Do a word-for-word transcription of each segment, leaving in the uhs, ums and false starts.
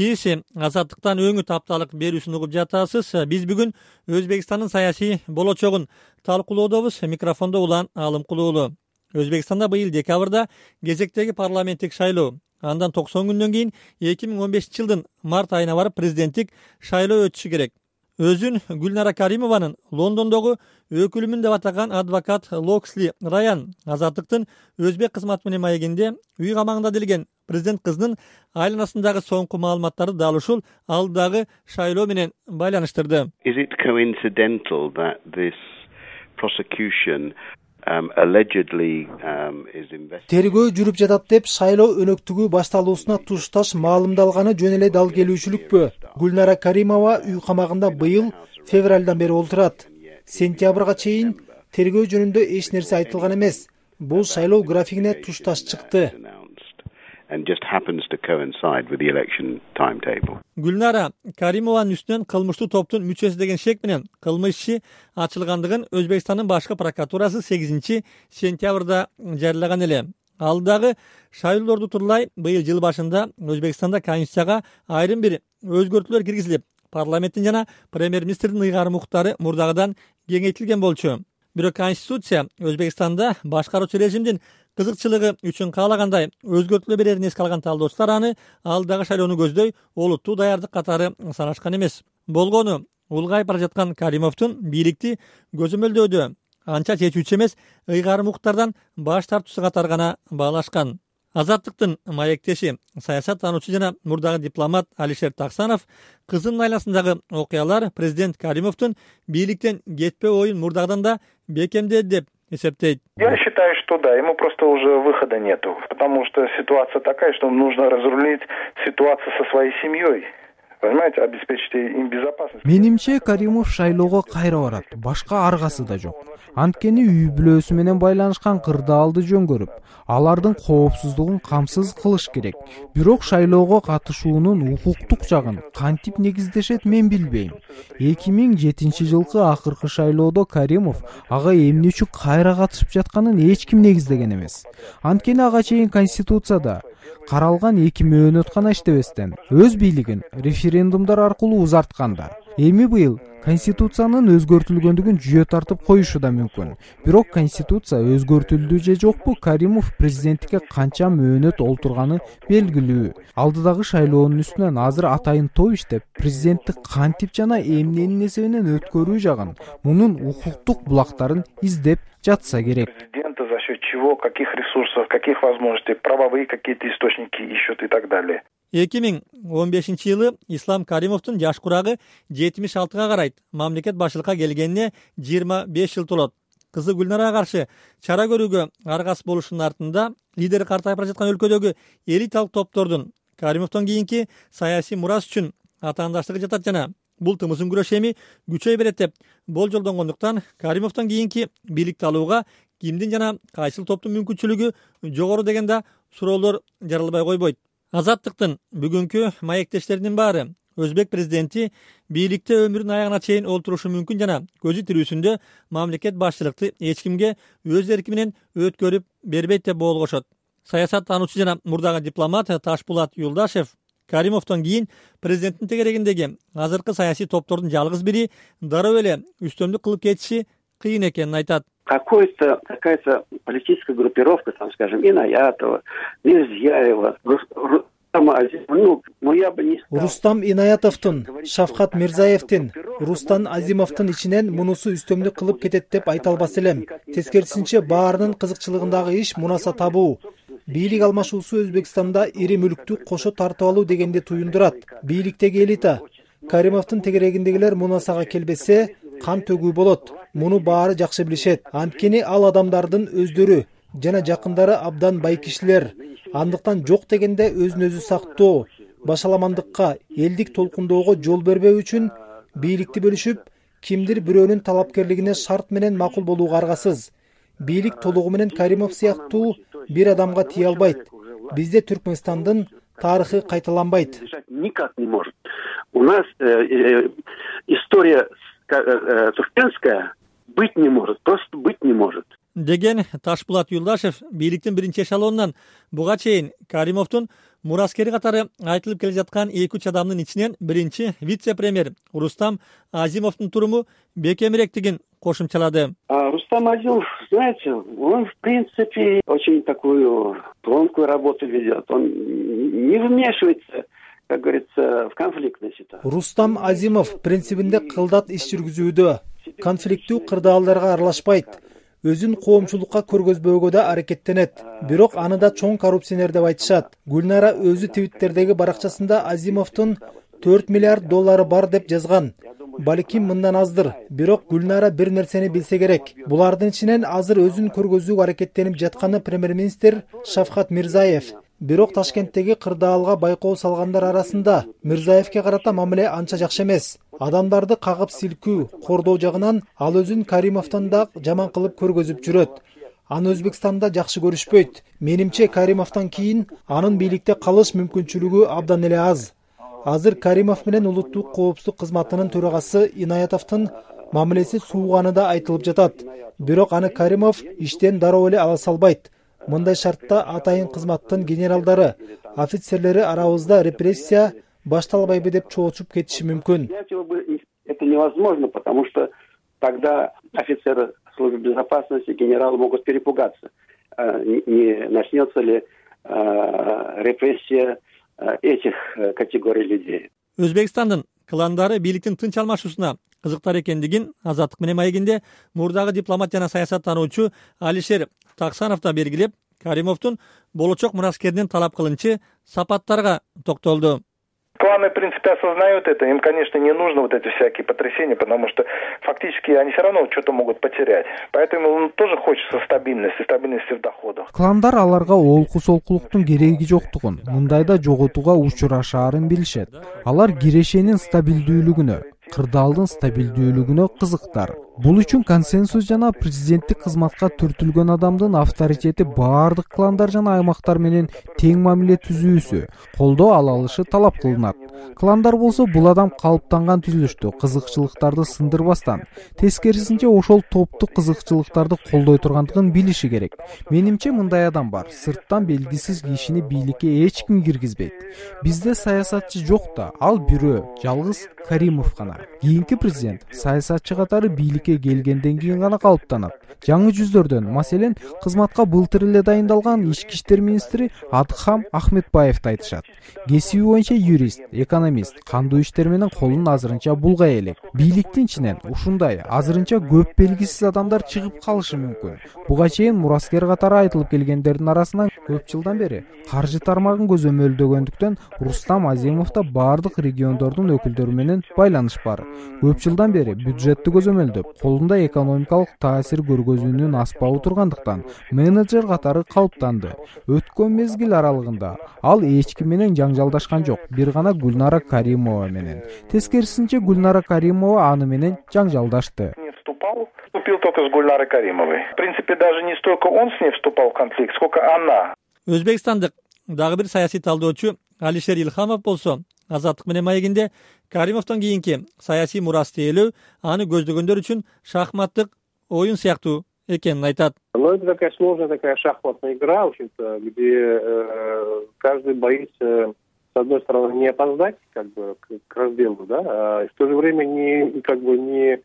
Сиз Азаттыктан өңү тапталык берүүсүн угуп жатасыз. Биз бүгүн Өзбекстандын саясий болочогун талкуулоодобуз. Микрофондо Улан Алымкулуулу. Өзбекстанда быйыл декабрда кезектеги парламенттик шайлоо, андан токсон күндөн кийин эки миң он бешинчи жылдын март айына барып президенттик шайлоо өтүшү керек. Өзүн Гүлнара Каримованын Лондондогу өкүлүмүн деп атаган адвокат Локсли Раян Азаттыктын өзбек кызматы менен маегинде үй камагында делген президент кызынын айланасындагы соңку маалыматтарды дал ушул алдыдагы шайлоо менен байланыштырды. Is it coincidental that this prosecution Um, allegedly um, is investigated? Тергөө жүрүп жатат деп шайлоо өнөктүгү башталуусуна тушташ маалымдалганы жөн эле дал келүүчүлүкпү? Гүлнара Каримова үй камагында быйыл февралдан бери олтурат. Сентябрга чейин тергөө жөнүндө эч нерсе айтылган эмес. Бул шайлоо графигине тушташ чыкты. And just happens to coincide with the election timetable. Гүлнара Каримованын үстүнөн кылмыштуу топтун мүчөсү деген шек менен кылмыш иши ачылгандыгын Өзбекстандын башкы прокуратурасы сегизинчи сентябрда жарыялаган эле. Алдагы шайлоолорду турлай быйыл жыл башында Өзбекстанда конституцияга айрым бир өзгөртүүлөр киргизилип, парламенттин жана премьер-министрдин ыйгарым укуктары мурдагыдан кеңейтилген болчу. Бирок конституция Өзбекстанда башкаруучу режимдин кызыкчылыгы үчүн каалагандай өзгөртүүлөр берерин эске алган талдоочулар аны алдагы шайлоону көздөй олуттуу даярдык катары санашкан эмес. Болгону улгайып бара жаткан Каримовдун бийликти көзөмөлдөөдө анча чечүүчү эмес ыйгарым укуктардан баш тартуусу катары гана баалашкан. Азаттыктын маектеши, саясат тануучу жана мурдагы дипломат Алишер Таксанов кызынын айланасындагы окуялар президент Каримовдун бийликтен кетпе оюн мурдагыдан да бекемдеди деп эсептейт. Я считаю, что да, ему просто уже выхода нету, потому что ситуация такая, что нужно разрулить ситуацию со своей семьей. Понимаете, обеспечить им безопасность. Менимче Каримов шайлоого кайра барат. Башка аргасы да жок. Анткени үй бүлөсү менен байланышкан кырдаалды жөн көрүп, алардын коопсуздугун камсыз кылыш керек. Бирок шайлоого катышуунун укуктук жагын кантип негиздешет мен билбейм. эки миң жетинчи жылкы акыркы шайлоодо Каримов ага эмне үчүн кайра катышып жатканын эч ким негиздеген эмес. Анткени ага чейин конституцияда каралган эки мөөнөт гана иштебестен өз бийлигин референдумдар аркылуу узартканда. Эми быйыл конституциянын өзгөртүлгөндүгүн жүйө тартып коюшу да мүмкүн. Бирок конституция өзгөртүлдү же жокпу, Каримов президенттикке канча мөөнөт олтурганы белгилүү. Алдыдагы шайлоонун үстүнөн азыр атайын топ иштеп, президенттик кантип жана эмненин эсебинен өткөрүү жагын, мунун укуктук булактарын издеп жатса керек. Президента за счет чего, каких ресурсов, каких возможностей, правовые какие-то источники ищут и так далее. эки миң он бешинчи жылы Ислам Каримовдун жаш курагы жетимиш алтыга карайт. Мамлекет башчылыкка келгенине жыйырма беш жыл толот. Кызы Гүлнарага каршы чара көрүүгө аргасыз болушунун артында лидери картайып бара жаткан өлкөдөгү элиталык топтордун Каримовдон кийинки саясий мурас үчүн атаандаштыгы жатат жана бул тымыздын күрөшү эми күчөй берет деп болжолдонгондуктан Каримовдон кийинки бийликти алууга кимдин жана кайсыл топтун мүмкүнчүлүгү жогору деген да суроолор жаралбай койбойт. Азаттыктын бүгүнкү маектештеринин баары Өзбек президенти бийликте өмүрүнүн аягына чейин олтурушу мүмкүн жана көзү тирүүсүндө мамлекет башчылыкты эч кимге өз эрки менен өткөрүп бербейт деп боолгошот. Саясат тануучу жана мурдагы дипломат Ташпулат Юлдашев Каримовдон кийин президенттин тегерегиндеги азыркы саясий топтордун жалгыз бири дароо эле үстөмдүк кылып кетиши кыйын экенин айтат. Какой-то, какая-то политическая группировка, там, скажем, Инаятова, Мирзияева, ну, ну, я бы не стал. Рустам Инаятовдун, Шавкат Мирзаевдин, Рустам Азимовдун ичинен мунусу үстөмдүк кылып кетет деп айта албас элем. Тескерисинче баарынын кызыкчылыгындагы иш мунаса табуу. Бийлик алмашуусу Өзбекстанда ири мүлктү кошо тартып алуу дегенди туюндурат. Бийликтеги элита Каримовдун тегерегиндегилер мунасага келбесе кан төгүү болот. Муну баары жакшы билишет. Анткени ал адамдардын өздөрү жана жакындары абдан бай кишилер. Андыктан жок дегенде өзүн өзү сактоо, башаламандыкка, элдик толкундоого жол бербөө үчүн бийликти бөлүшүп, кимдир бирөөнүн талапкерлигине шарт менен макул болууга аргасыз. Бийлик толугу менен Каримов сыяктуу бир адамга тие албайт. Бизде Түркмөнстандын тарыхы кайталанбайт. Никак не может. У нас э, э, история э, туркменская быть не может, просто быть не может. Деген Ташпулат Юлдашев бийликтин биринчи эшелонунан буга чейин Каримовдун мураскери катары айтылып келе жаткан эки үч адамдын ичинен биринчи вице-премьер Рустам Азимовдун туруму бекемиректигин кошумчалады. Рустам Азимов, знаете, он в принципе очень такую тонкую работу ведет. Он не вмешивается, как говорится, в конфликтные ситуации. Рустам Азимов принцибинде кылдат иш жүргүзүүдө, конфликттүү кырдаалдарга аралашпайт, өзүн коомчулукка көргөзбөөгө да аракеттенет. Бирок аны да чоң коррупционер деп айтышат. Гүлнара өзү Твиттердеги баракчасында Азимовдун төрт миллиард доллары бар деп жазган. Балким мындан аздыр. Бирок Гүлнара бир нерсени билсе керек. Булардын ичинен азыр өзүн көргөзүүгө аракеттенип жатканы премьер-министр Шавкат Мирзиев. Бирок Ташкенттеги кырдаалга байкоо салгандар арасында Мирзиевке карата мамиле анча жакшы эмес. Адамдарды кагып силкүү, кордоо жагынан ал өзүн Каримовдон да жаман кылып көргөзүп жүрөт. Аны Өзбекстанда жакшы көрүшпөйт. Менимче Каримовдон кийин анын бийликте калыш мүмкүнчүлүгү абдан эле аз. Азыр Каримов менен улуттук коопсуздук кызматынын төрагасы Инаятовдун мамилеси сууганы да айтылып жатат. Бирок аны Каримов иштен дароо эле ала салбайт. Мындай шартта атайын кызматтын генералдары, офицерлери арабызда репрессия башталбайбы деп чоочуп кетиши мүмкүн. Это невозможно, потому что тогда офицеры службы безопасности, генералы могут перепугаться. Не начнется ли репрессия этих категорий людей. Өзбекстандын кландары бийликтин тынч алмашуусуна кызыктар экендигин Азаттык менен маегинде мурдагы дипломат жана саясаттануучу Алишер Таксанов да белгилеп, Каримовдун болочок мураскеринин талап кылынчы сапаттарга токтолду. Кланы, в принципе, осознают это. Им, конечно, не нужно вот эти всякие потрясения, потому что фактически они все равно что-то могут потерять. Поэтому он тоже хочется стабильности, стабильности в доходах. Кландар аларга олку солкулуктун кереги жоктугун, мындайда жоготууга учурашаарын билишет. Алар кирешенин стабилдүүлүгүнө, кырдаалдын стабилдүүлүгүнө кызыктар. Бул үчүн консенсус жана президенттик кызматка түртүлгөн адамдын авторитети баардык кландар жана аймактар менен тең мамиле түзүүсү, колдоо ала алышы талап кылынат. Кландар болсо бул адам калыптанган түзүлүштү кызыкчылыктарды сындырбастан, тескерисинче ошол топтук кызыкчылыктарды колдой тургандыгын билиши керек. Менимче мындай адам бар. Сырттан белгисиз кишини бийликке эч ким киргизбейт. Бизде саясатчы жок да, ал бирөө, жалгыз Каримов гана. Кийинки президент саясатчы катары бийликке келгенден кийин гана калыптанат. Жаңы жүздөрдөн, маселен, кызматка былтыр эле дайындалган ички иштер министри Адхам Ахметбаевди айтышат. Кесиби боюнча юрист, экономист, кандуу иштер менен колун азырынча булгай элек. Бийликтин ичинен ушундай азырынча көп белгисиз адамдар чыгып калышы мүмкүн. Буга чейин мураскер катары айтылып келгендердин арасынан көп жылдан бери каржы тармагын көзөмөлдөгөндүктөн Рустам Азимов да бардык региондордун өкүлдөрү менен байланыш бар. Көп жылдан бери бюджетти көзөмөлдөп, колунда экономикалык таасир көргөзүүнүн аспабы тургандыктан менеджер катары калыптанды. Өткөн мезгил аралыгында ал эч ким менен жаңжалдашкан жок, бир гана Гүлнара Каримова менен. Тескерисинче Гүлнара Каримова аны менен жаңжалдашты. Вступил только с Гульнарой Каримовой. В принципе, даже не столько он с ней вступал в конфликт, сколько она. Өзбекстандык дагы бир саясий талдоочу Алишер Илхамов болсо, Азаттык менен маегинде Каримовдон кийинки саясий мурас тээлөө аны көздөгөндөр үчүн шахматтык оюн сыяктуу экенин айтат. Но это такая сложная такая шахматная игра, в общем-то, где э, каждый боится, с одной стороны, не опоздать как бы к, к разделу, да, а в то же время не как бы не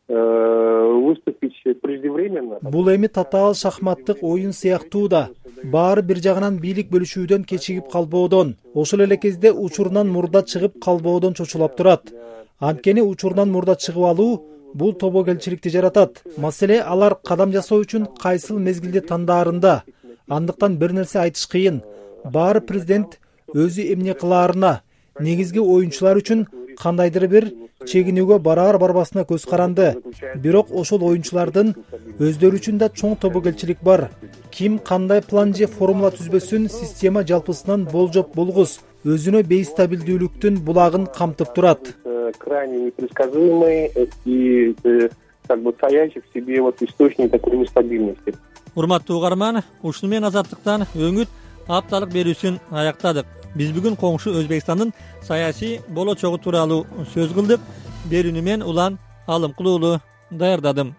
выступить преждевременно. Бул эми татаал шахматтык оюн сыяктуу да. Баары бир жагынан бийлик бөлүшүүдөн кечигип калбоодон, ошол эле кезде учурунан мурда чыгып калбоодон чочулап турат. Анткени учурунан мурда чыгып алуу бул тобокелчиликти жаратат. Маселе алар кадам жасоо үчүн кайсыл мезгилди тандаарында. Андыктан бир нерсе айтыш кыйын. Баары президент өзү эмне кылаарына, негизги оюнчулар үчүн кандайдыр бир чегинүүгө бараар барбасына көз каранды. Бирок ошол оюнчулардын өздөрү үчүн да чоң тобокелчилик бар. Ким кандай план же формула түзбөсүн, система жалпысынан болжоп болгус өзүнө бейстабилдүүлүктүн булагын камтып турат. Крайне непредсказуемый и как бы таящий в себе вот источник такой нестабильности. Урматтуу угарман, ушуну менен Азаттыктан өңүт апталык берүүсүн аяктадык. Биз бүгүн коңшу Өзбекстандын саясий болочогу тууралуу сөз кылдык. Берүүнү мен Улан Алымкулуулу даярдадым.